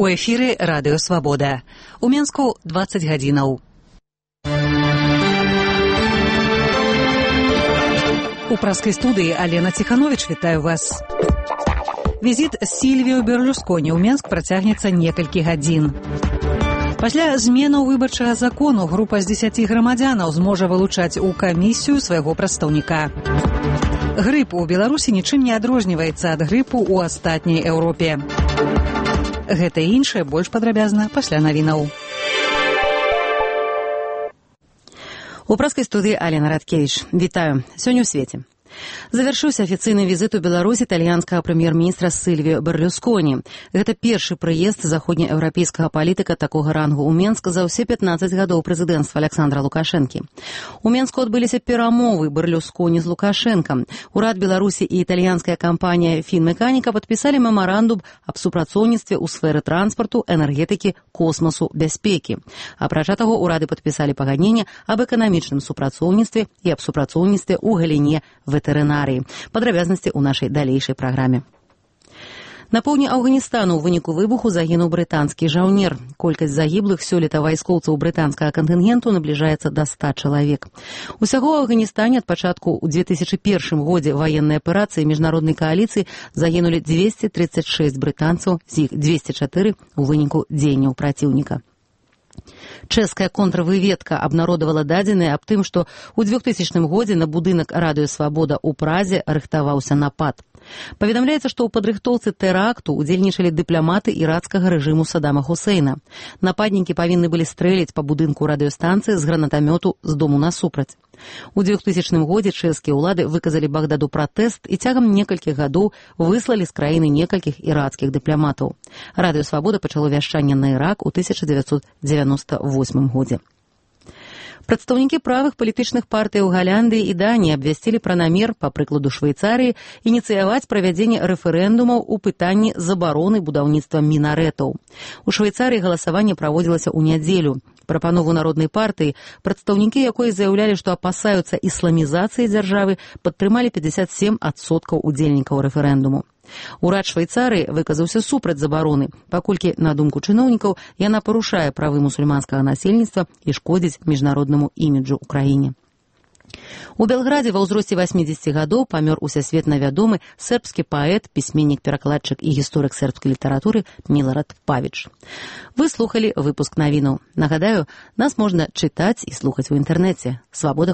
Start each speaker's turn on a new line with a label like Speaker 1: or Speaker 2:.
Speaker 1: У эфіры радыё Свабода. У Менску 20 гадзінаў. У праскай студыі Алена Ціхановіч вітаю вас. Візіт Сільвіо Берлюсконі ў Менск працягнецца некалькі гадзін. Пасля зменаў выбарчага закону група з 10 грамадзянаў зможа вылучаць у камісію свайго прадстаўніка. Грып у Беларусі нічым не адрозніваецца ад грыпу ў астатняй Еўропе. Гэта і іншае больш падрабязна пасля навінаў. У праскай студыі Алена Радкевіч. Вітаю. Сёння ў свеце. Завяршыўся афіцыйны візіт у Беларусь італьянскага прэм'ер-міністра Сільвіо Берлюсконі. Гэта першы прыезд заходнееўрапейскага палітыка такога рангу ў Менск за ўсе 15 гадоў прэзідэнцтва Александра Лукашэнкі. У Менску адбыліся перамовы Берлюсконі з Лукашэнкам. Урад Беларусі і італьянская кампанія «Фінмеканіка» падпісалі мемарандум аб супрацоўніцтве ў сферы транспарту, энергетыкі, космасу, бяспекі. Апрача таго, урады падпісалі пагадненне аб эканамічным супрацоўніцтве і аб супрацоўніцтве ў галіне ветэрынарыі. Падрабязнасці ў нашай далейшай праграме. На поўдні Афганістану ў выніку выбуху загінуў брытанскі жаўнер. Колькасць загіблых сёлета вайскоўцаў брытанскага кантынгенту набліжаецца да 100 чалавек. Усяго ў Афганістане ад пачатку ў 2001 годзе ваеннай аперацыі міжнароднай кааліцыі загінулі 236 брытанцаў, з іх 204 у выніку дзеянняў праціўніка. Чэшская контрвыведка абнародавала дадзеныя аб тым, што ў 2000 годзе на будынак радыё Свабода ў Празе рыхтаваўся напад. Паведамляецца, што ў падрыхтоўцы тэракту удзельнічалі дыпламаты ірацкага рэжыму Саддама Хусейна. Нападнікі павінны былі стрэліць па будынку радыёстанцыі з гранатамёту з дому насупраць. У 2000 годзе чэшскія ўлады выказалі Багдаду пратэст і цягам некалькіх гадоў выслалі з краіны некалькіх ірацкіх дыпламатаў. Радыё Свабода пачало вяшчанне на Ірак у 1998 годзе. Прадстаўнікі правых палітычных партый у Галандыі і Даніі абвясцілі пра намер, па прыкладу Швейцарыі, ініцыяваць правядзенне рэферэндумаў у пытанні забароны будаўніцтва мінарэтаў. У Швейцарыі галасаванне праводзілася ў нядзелю. Прапанову народнай партыі, прадстаўнікі якой заяўлялі, што апасаюцца ісламізацыі дзяржавы, падтрымалі 57% удзельнікаў рэферэндуму. Урад Швейцарыі выказаўся супраць забароны, паколькі, на думку чыноўнікаў, яна парушае правы мусульманскага насельніцтва і шкодзіць міжнароднаму іміджу ў краіне. У Белградзе ва ўзросце 80 гадоў памёр усесветна вядомы сербскі паэт, пісьменнік, перакладчык і гісторык сербскай літаратуры Милорад Павіч. Вы слухалі выпуск навінаў. Нагадаю, нас можна чытаць і слухаць у інтэрнэце. Свабода.